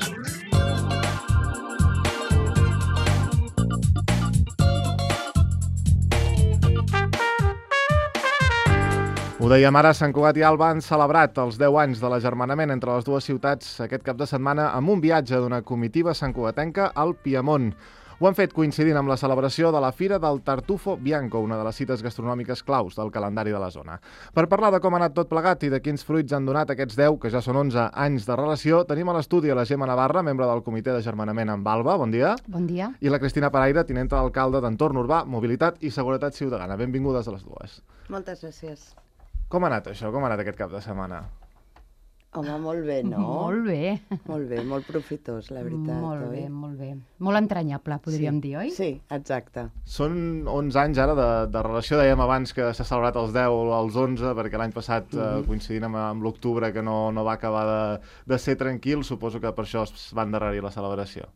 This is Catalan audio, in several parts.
Ho dèiem ara, Sant Cugat i Alba han celebrat els 10 anys de l'agermanament entre les dues ciutats aquest cap de setmana amb un viatge d'una comitiva santcugatenca al Piemont. Ho han fet coincidint amb la celebració de la Fira del Tartufo Bianco, una de les cites gastronòmiques claus del calendari de la zona. Per parlar de com ha anat tot plegat i de quins fruits han donat aquests 10, que ja són 11 anys de relació, tenim a l'estudi a la Gemma Navarra, membre del Comitè d'Agermanament amb Alba. Bon dia. Bon dia. I la Cristina Paraire, tinenta d'alcalde d'Entorn Urbà, Mobilitat i Seguretat Ciutadana. Benvingudes a les dues. Moltes gràcies. Com ha anat això? Com ha anat aquest cap de setmana? Home, molt bé, no? Molt bé. Molt bé, molt profitós, la veritat, Molt oi? bé, molt bé. Molt entranyable, podríem dir, oi? Sí, exacte. Són 11 anys ara de relació, dèiem abans que s'ha celebrat els 10 o els 11, perquè l'any passat, coincidint amb l'octubre, que no va acabar de ser tranquil, suposo que per això es va endarrerir la celebració.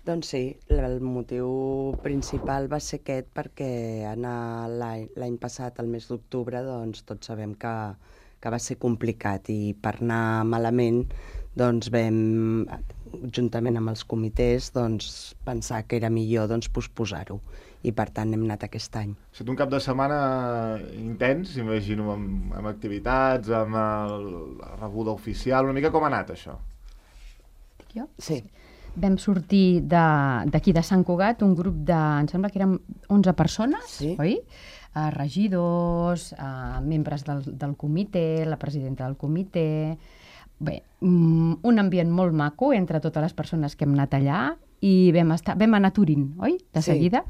Doncs sí, el motiu principal va ser aquest perquè l'any passat, el mes d'octubre, doncs tots sabem que va ser complicat i per anar malament doncs vam, juntament amb els comitès, doncs, pensar que era millor posposar-ho i per tant hem anat aquest any. Ha estat un cap de setmana intens, imagino, amb activitats, amb la rebuda oficial, una mica com ha anat això? Jo? Sí. Vam sortir d'aquí de Sant Cugat, un grup de, em sembla que érem 11 persones, Sí. oi? Regidors, membres del comitè, la presidenta del comitè. Bé, un ambient molt maco entre totes les persones que hem anat allà i vam anar a Turín, oi? De seguida.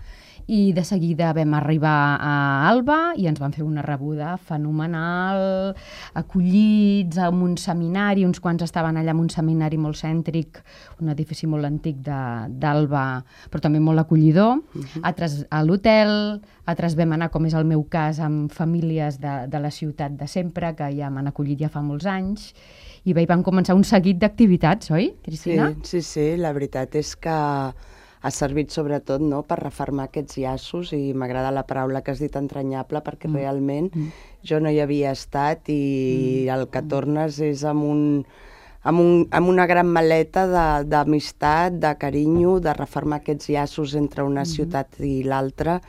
I de seguida vam arribar a Alba i ens van fer una rebuda fenomenal, acollits en un seminari, uns quants estaven allà en un seminari molt cèntric, un edifici molt antic d'Alba, però també molt acollidor, altres a l'hotel, altres vam anar, com és el meu cas, amb famílies de la ciutat de sempre, que ja m'han acollit ja fa molts anys, i bé, van començar un seguit d'activitats, oi, Cristina? Sí, la veritat és que ha servit sobretot per refermar aquests llaços i m'agrada la paraula que has dit entranyable perquè realment jo no hi havia estat i el que tornes és amb una gran maleta d'amistat, de carinyo, de refermar aquests llaços entre una ciutat i l'altra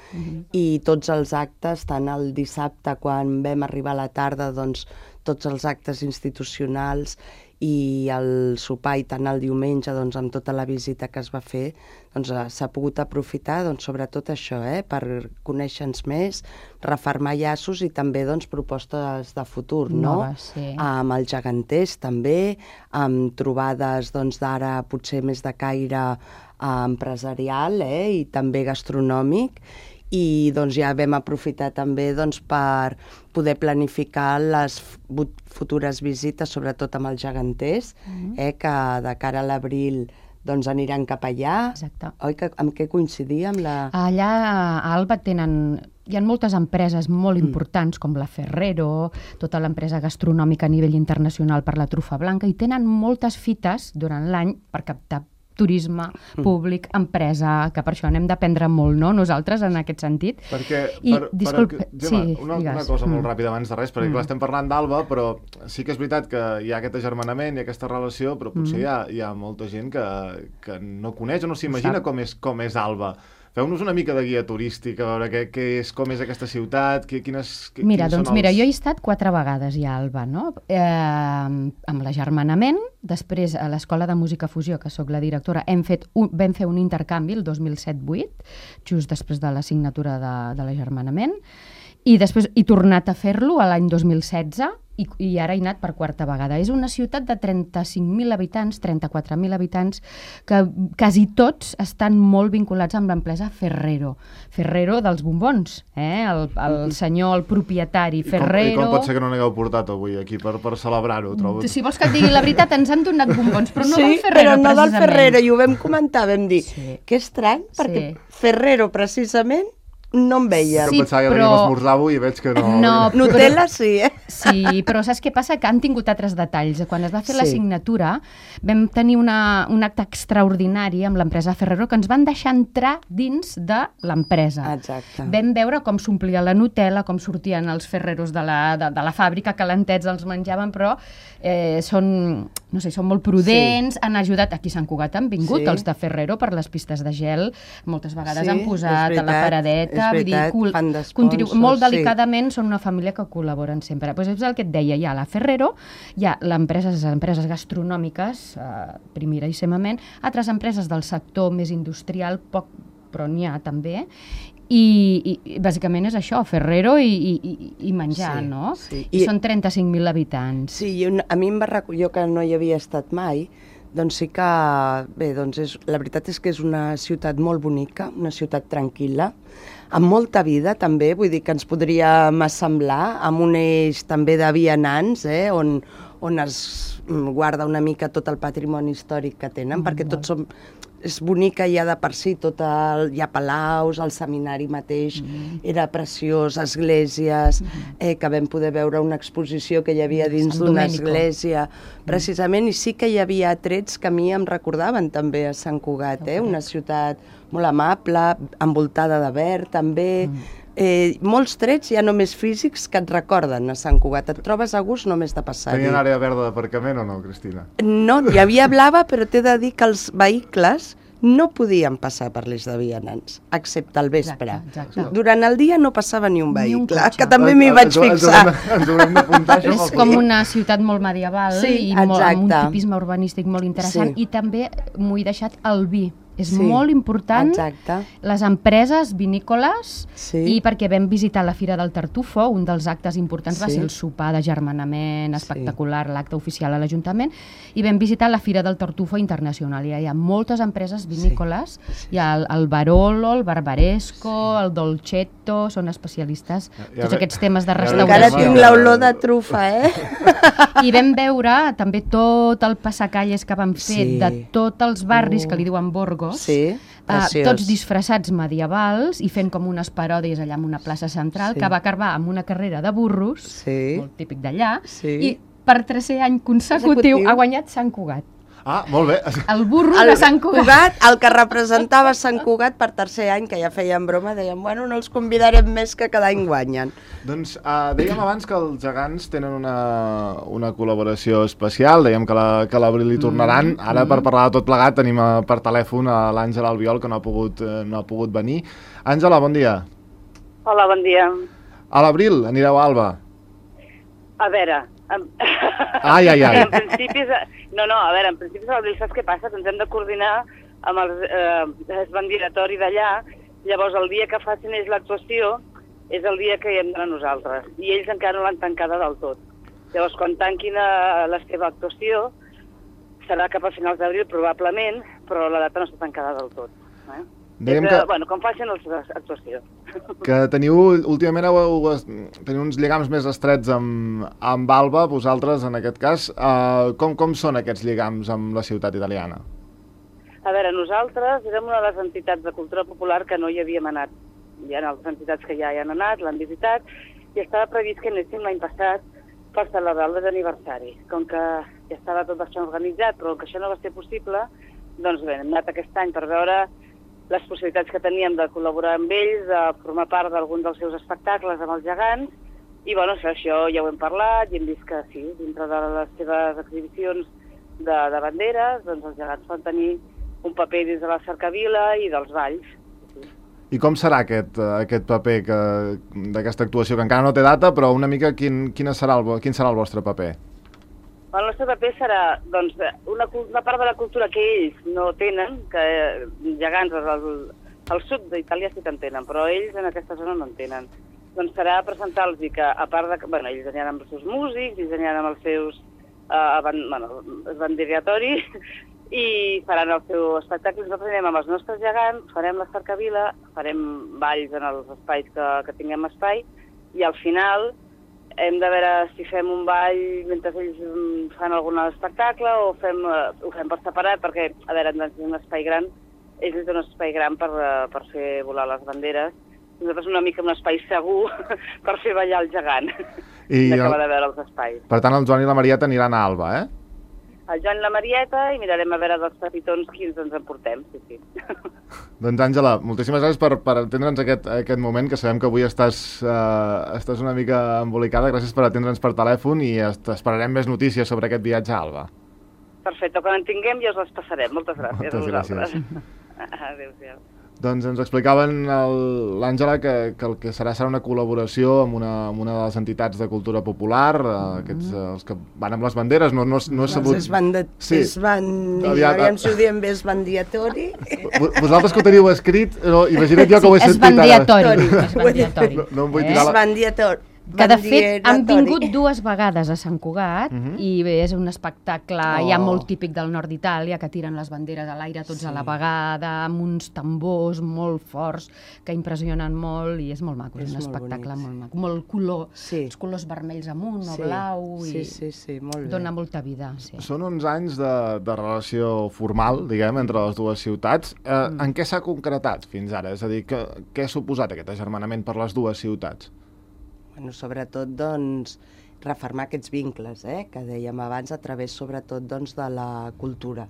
i tots els actes, tant el dissabte quan vam arribar a la tarda, doncs tots els actes institucionals i el sopar i tant el diumenge amb tota la visita que es va fer s'ha pogut aprofitar sobretot això, per conèixer-nos més, refermar llaços i també propostes de futur, no? Noves, sí. Amb els geganters també, amb trobades d'ara potser més de caire empresarial i també gastronòmic. I ja vam aprofitar també per poder planificar les futures visites, sobretot amb els geganters, que de cara a l'abril aniran cap allà. Exacte. Oi, amb què coincidia? Allà a Alba hi ha moltes empreses molt importants, com la Ferrero, tota l'empresa gastronòmica a nivell internacional per la trufa blanca, i tenen moltes fites durant l'any per captar turisme públic, empresa, que per això n'hem d'aprendre molt, no?, nosaltres, en aquest sentit. Una cosa molt ràpida abans de res, perquè clar, estem parlant d'Alba, però sí que és veritat que hi ha aquest agermanament i aquesta relació, però potser hi ha molta gent que no coneix o no s'imagina com és Alba. Feu-nos una mica de guia turística, a veure com és aquesta ciutat, Mira, jo he estat 4 vegades ja a Alba, no? Amb l'agermanament, després a l'Escola de Música Fusió, que sóc la directora, vam fer un intercanvi el 2007-2008, just després de la signatura de l'agermanament, i després he tornat a fer-lo l'any 2016, i ara he anat per 4a vegada. És una ciutat de 35.000 habitants, 34.000 habitants, que quasi tots estan molt vinculats amb l'empresa Ferrero. Ferrero dels bombons, el senyor, el propietari Ferrero... I com pot ser que no n'hagueu portat avui aquí per celebrar-ho? Si vols que et digui la veritat, ens han donat bombons, però no del Ferrero, precisament. Sí, però no del Ferrero, i ho vam comentar, vam dir, Sí. que estrany, perquè Ferrero, precisament, no em veien. Que em pensava que veníem a esmorzar avui i veig que no... Nutella sí, Sí, però saps què passa? Que han tingut altres detalls. Quan es va fer la signatura vam tenir un acte extraordinari amb l'empresa Ferrero que ens van deixar entrar dins de l'empresa. Exacte. Vam veure com s'omplia la Nutella, com sortien els Ferreros de la fàbrica, calentets els menjaven, però són molt prudents, han ajudat, aquí a Sant Cugat han vingut els de Ferrero per les pistes de gel, moltes vegades han posat a la paradeta, molt delicadament, són una família que col·laboren sempre. Pues és el que et deia, hi ha la Ferrero, hi ha les empreses gastronòmiques, primeríssimament, altres empreses del sector més industrial, poc, però n'hi ha també, i bàsicament és això, Ferrero i menjar, no? I són 35.000 habitants. Sí, a mi em va recollir, jo que no hi havia estat mai, doncs sí que, bé, doncs la veritat és que és una ciutat molt bonica, una ciutat tranquil·la, amb molta vida també, vull dir que ens podríem assemblar, amb un eix també de vianants, on es guarda una mica tot el patrimoni històric que tenen, perquè tots som... És bonica ja de per si, hi ha palaus, el seminari mateix era preciós, esglésies, que vam poder veure una exposició que hi havia dins d'una església, precisament, i sí que hi havia trets que a mi em recordaven també a Sant Cugat, una ciutat molt amable, envoltada de verd també, molts trets ja només físics que et recorden a Sant Cugat, et trobes a gust només de passar-hi. Tenien àrea verda d'aparcament o no, Cristina? No, hi havia blava, però t'he de dir que els vehicles no podien passar per l'eix de vianants, excepte al vespre. Exacte. Durant el dia no passava ni un vehicle, que també m'hi vaig fixar. Ens haurem d'apuntar això. És com una ciutat molt medieval i amb un tipisme urbanístic molt interessant, i també m'ho he deixat el vi. És molt important les empreses vinícoles i perquè vam visitar la Fira del Tartufo, un dels actes importants va ser el sopar d'agermanament espectacular, l'acte oficial a l'Ajuntament, i vam visitar la Fira del Tartufo Internacional. Hi ha moltes empreses vinícoles, hi ha el Barolo, el Barbaresco, el Dolcetto, són especialistes en tots aquests temes de restauració. Encara tinc l'olor de trufa, I vam veure també tot el passacalles que van fer de tots els barris que li diuen Borgo, tots disfressats medievals i fent com unes paròdies allà en una plaça central que va acabar amb una carrera de burros, molt típic d'allà, i per tercer any consecutiu ha guanyat Sant Cugat. Ah, molt bé. El burro de Sant Cugat. El que representava Sant Cugat per tercer any, que ja feien broma, deien, bueno, no els convidarem més que cada any guanyen. Doncs dèiem abans que els gegants tenen una col·laboració especial, dèiem que l'abril hi tornaran. Ara, per parlar de tot plegat, tenim per telèfon a l'Àngela Albiol, que no ha pogut venir. Àngela, bon dia. Hola, bon dia. A l'abril anireu a Alba. A veure... Ai. En principi, en principi a l'abril saps què passa? Ens hem de coordinar amb el bandiratori d'allà, llavors el dia que facin ells l'actuació és el dia que hi hem d'anar nosaltres, i ells encara no l'han tancada del tot. Llavors, quan tanquin la seva actuació, serà cap a finals d'abril probablement, però la data no està tancada del tot. Com facin l'actuació. Que últimament teniu uns lligams més estrets amb Alba, vosaltres en aquest cas. Com són aquests lligams amb la ciutat italiana? A veure, nosaltres érem una de les entitats de cultura popular que no hi havíem anat. Hi ha altres entitats que ja hi han anat, l'han visitat, i estava previst que anéssim l'any passat per celebrar el desaniversari. Com que ja estava tot bastant organitzat, però que això no va ser possible, doncs bé, hem anat aquest any per veure les possibilitats que teníem de col·laborar amb ells, de formar part d'algun dels seus espectacles amb els gegants, i bueno, això ja ho hem parlat, i hem vist que sí, dintre de les seves exhibicions de banderes, doncs els gegants poden tenir un paper dins de la cercavila i dels balls. I com serà aquest paper d'aquesta actuació, que encara no té data, però una mica quin serà el vostre paper? El nostre paper serà una part de la cultura que ells no tenen, que gegants al sud d'Itàlia sí que en tenen, però ells en aquesta zona no en tenen. Doncs serà presentar-los que, a part de... ells aniran amb els seus músics, ells aniran amb els seus bandiratoris i faran el seu espectacle. Nosaltres anem amb els nostres gegants, farem la cercavila, farem balls en els espais que tinguem espai, i al final hem de veure si fem un ball mentre ells fan algun espectacle o ho fem per separat, perquè, a veure, hem de tenir un espai gran, ells tenen un espai gran per fer volar les banderes, Nosaltres una mica un espai segur per fer ballar el gegant, I d'acabar de veure els espais. per tant, el Joan i la Marieta aniran a Alba, eh? El Joan i la Marieta, i mirarem a veure dels petitons quins ens emportem, sí. Doncs, Àngela, moltíssimes gràcies per atendre'ns aquest moment, que sabem que avui estàs una mica embolicada. Gràcies per atendre'ns per telèfon i esperarem més notícies sobre aquest viatge a Alba. Perfecte, quan en tinguem ja us les passarem. Moltes gràcies. Moltes gràcies. Adéu-siau. Doncs ens explicaven l'Àngela que el que serà una col·laboració amb una de les entitats de cultura popular, els que van amb les banderes, no he sabut... Aviam si ho diem bé, esbandiatori. Vosaltres que ho teniu escrit, imagina't jo que ho he sentit ara. Esbandiatori. No em vull tirar la... Esbandiatori. Que de fet han vingut 2 vegades a Sant Cugat i bé, és un espectacle ja molt típic del nord d'Itàlia, que tiren les banderes a l'aire tots a la vegada, amb uns tambors molt forts que impressionen molt i és molt maco, és un espectacle molt maco, molt color, els colors vermells amunt o blau i molt bé. Dona molta vida. Són uns anys de relació formal, diguem, entre les dues ciutats. En què s'ha concretat fins ara? És a dir, què ha suposat aquest agermanament per les dues ciutats? Bueno, sobretot, doncs, refermar aquests vincles, que dèiem abans, a través, sobretot, doncs, de la cultura,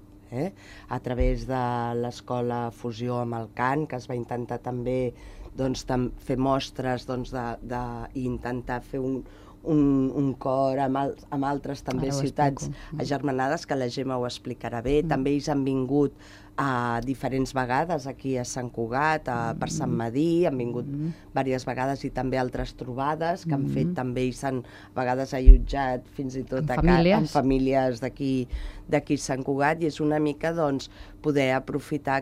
a través de l'escola Fusió amb el cant, que es va intentar també doncs, fer mostres doncs, i intentar fer un cor amb altres també ciutats agermanades, que la Gemma ho explicarà bé. També ells han vingut diferents vegades aquí a Sant Cugat, per Sant Madí, han vingut diverses vegades i també altres trobades que han fet també, ells a vegades allotjat fins i tot en famílies d'aquí Sant Cugat, i és una mica doncs poder aprofitar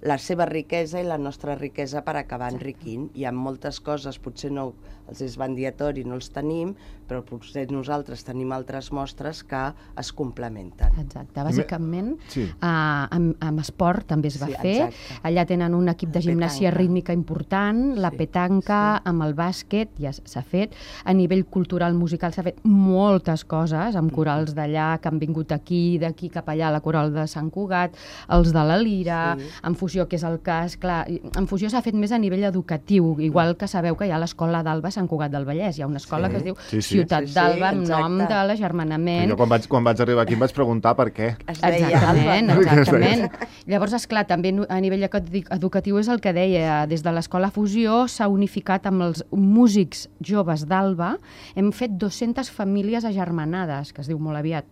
la seva riquesa i la nostra riquesa per acabar enriquint. Hi ha moltes coses, potser no els esbandiatori no els tenim, però potser nosaltres tenim altres mostres que es complementen. Exacte, bàsicament amb esport també es va fer. Allà tenen un equip de gimnàsia rítmica important, la petanca, amb el bàsquet, ja s'ha fet. A nivell cultural, musical, s'ha fet moltes coses, amb corals d'allà que han vingut aquí, d'aquí cap allà, la coral de Sant Cugat, els de la Lira, en Fusió, que és el cas, clar, en Fusió s'ha fet més a nivell educatiu, igual que sabeu que hi ha l'escola d'Alba a Sant Cugat del Vallès, hi ha una escola que es diu Ciutat d'Alba, amb nom de l'agermanament. Jo quan vaig arribar aquí em vaig preguntar per què. Exactament. Llavors, esclar, també a nivell educatiu és el que deia, des de l'escola Fusió s'ha unificat amb els músics joves d'Alba, hem fet 200 famílies agermanades, que es diu molt aviat,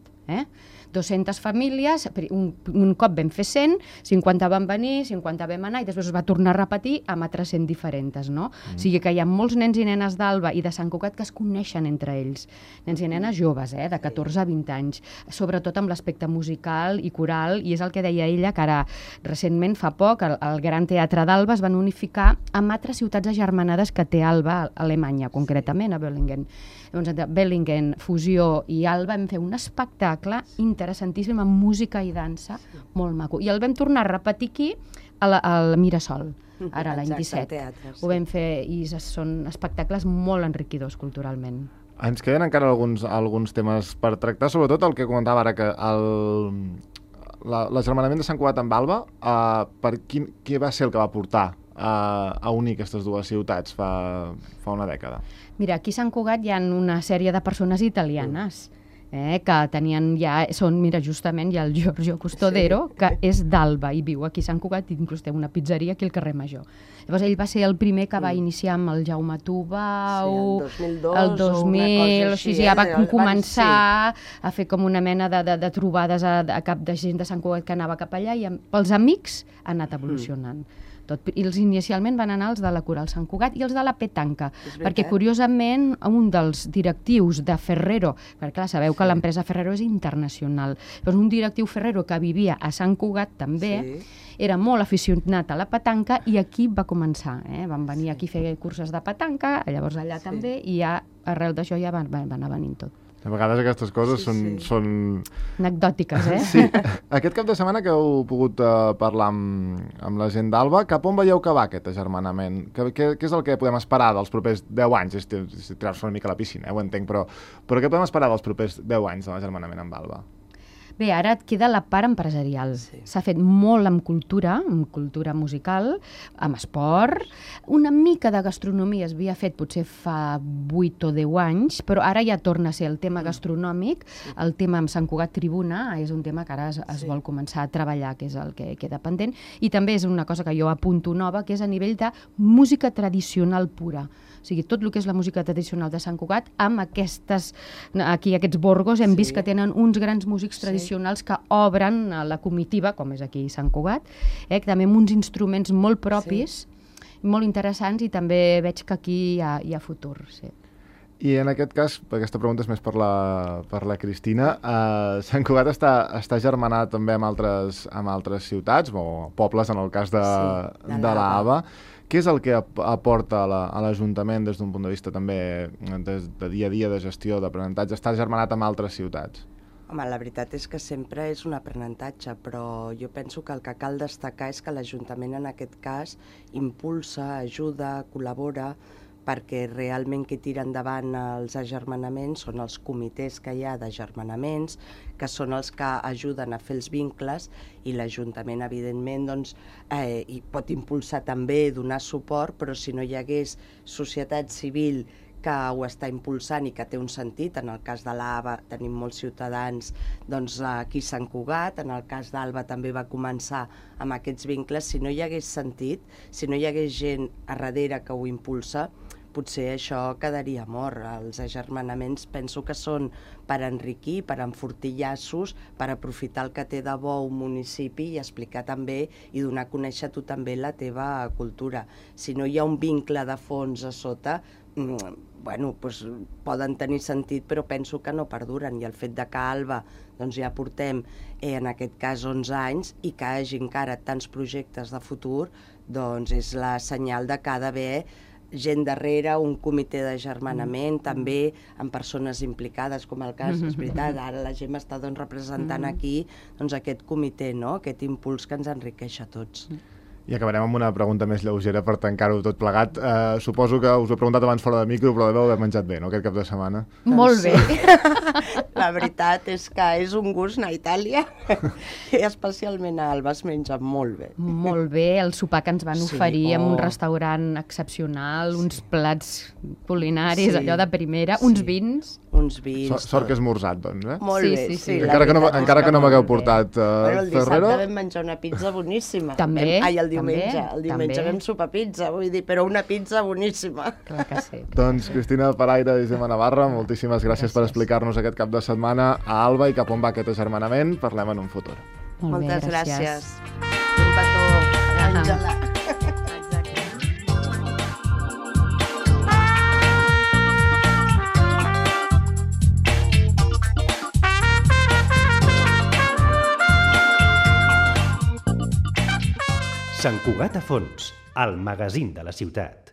200 famílies, un cop vam fer 100, 50 van venir, 50 vam anar i després es va tornar a repetir amb altres 100 diferents, no? O sigui que hi ha molts nens i nenes d'Alba i de Sant Cugat que es coneixen entre ells. Nens i nenes joves, de 14 a 20 anys, sobretot amb l'aspecte musical i coral, i és el que deia ella, que ara recentment, fa poc, el Gran Teatre d'Alba es van unificar amb altres ciutats agermanades que té Alba, a Alemanya, concretament, a Bellingen. Llavors, entre Bellingen, Fusió i Alba vam fer un espectacle interessantíssim amb música i dansa, molt maco. I el vam tornar a repetir aquí al Mirasol, ara l'any 17. Ho vam fer i són espectacles molt enriquidors culturalment. Ens queden encara alguns temes per tractar, sobretot el que comentava ara, que l'agermanament de Sant Cugat amb Alba, qui va ser el que va portar a unir aquestes dues ciutats fa una dècada? Mira, aquí a Sant Cugat hi ha una sèrie de persones italianes que tenien mira, justament hi ha el Giorgio Custodero, que és d'Alba i viu aquí a Sant Cugat, inclús té una pizzeria aquí al carrer Major. Llavors ell va ser el primer que va iniciar amb el Jaume Tubau, el 2000, o sigui, ja va començar a fer com una mena de trobades a cap de gent de Sant Cugat que anava cap allà, i pels amics ha anat evolucionant. I els inicialment van anar els de la Coral Sant Cugat i els de la petanca, perquè curiosament un dels directius de Ferrero, perquè clar, sabeu que l'empresa Ferrero és internacional, doncs un directiu Ferrero que vivia a Sant Cugat també, era molt aficionat a la petanca i aquí va començar, van venir aquí a fer curses de petanca, llavors allà també, i ja arrel d'això ja va anar venint tot. A vegades aquestes coses són... anecdòtiques, Sí. Aquest cap de setmana que heu pogut parlar amb la gent d'Alba, cap on veieu que va aquest agermanament? Què és el que podem esperar dels propers 10 anys? És tirar-se una mica a la piscina, ho entenc, però què podem esperar dels propers 10 anys de l'agermanament amb Alba? Bé, ara et queda la part empresarial. S'ha fet molt amb cultura musical, amb esport. Una mica de gastronomia es havia fet potser fa 8 o 10 anys, però ara ja torna a ser el tema gastronòmic. El tema amb Sant Cugat Tribuna és un tema que ara es vol començar a treballar, que és el que queda pendent. I també és una cosa que jo apunto nova, que és a nivell de música tradicional pura. O sigui, tot el que és la música tradicional de Sant Cugat, amb aquests borgos, hem vist que tenen uns grans músics tradicionals que obren la comitiva, com és aquí Sant Cugat, també amb uns instruments molt propis, molt interessants, i també veig que aquí hi ha futur. Sí. I en aquest cas, aquesta pregunta és més per la Cristina, Sant Cugat està germanat també amb altres ciutats, o pobles, en el cas de l'Ava. Què és el que aporta a l'Ajuntament des d'un punt de vista també de dia a dia, de gestió, d'aprenentatge, estar germanat amb altres ciutats? Home, la veritat és que sempre és un aprenentatge, però jo penso que el que cal destacar és que l'Ajuntament en aquest cas impulsa, ajuda, col·labora, perquè realment qui tira endavant els agermanaments són els comitès que hi ha d'agermanaments, que són els que ajuden a fer els vincles, i l'Ajuntament, evidentment, hi pot impulsar també, donar suport, però si no hi hagués societat civil que ho està impulsant i que té un sentit, en el cas de l'Ava tenim molts ciutadans aquí a Sant Cugat, en el cas d'Alba també va començar amb aquests vincles, si no hi hagués sentit, si no hi hagués gent a darrere que ho impulsa, potser això quedaria mort. Els agermanaments penso que són per enriquir, per enfortir llaços, per aprofitar el que té de bo un municipi i explicar també i donar a conèixer tu també la teva cultura. Si no hi ha un vincle de fons a sota, poden tenir sentit, però penso que no perduren. I el fet de que a Alba ja portem, en aquest cas, 11 anys, i que hi hagi encara tants projectes de futur, és la senyal de que ha d'haver gent darrere, un comitè d'agermanament, també amb persones implicades, com el cas, és veritat, ara la Gemma està representant aquí aquest comitè, aquest impuls que ens enriqueix a tots. I acabarem amb una pregunta més lleugera per tancar-ho tot plegat. Suposo que us ho he preguntat abans fora de micro, però deveu haver menjat bé, no?, aquest cap de setmana. Molt bé. La veritat és que és un gust anar a Itàlia i especialment a Alba es menja molt bé. Molt bé, el sopar que ens van oferir en un restaurant excepcional, uns plats culinaris, allò de primera, uns vins. Uns vins. Sort que esmorzat, doncs, eh? Molt bé, sí. Encara que no m'hagueu portat el dissabte vam menjar una pizza boníssima. També. El diumenge vam sopar pizza, vull dir, però una pizza boníssima. Clar que sí. Doncs Cristina Paraire i Gemma Navarra, moltíssimes gràcies per explicar-nos aquest cap de setmana a Alba i cap on va aquest agermanament. Parlem en un futur. Moltes gràcies. Un petó, Àngela. Sant Cugat a fons, el magazín de la ciutat.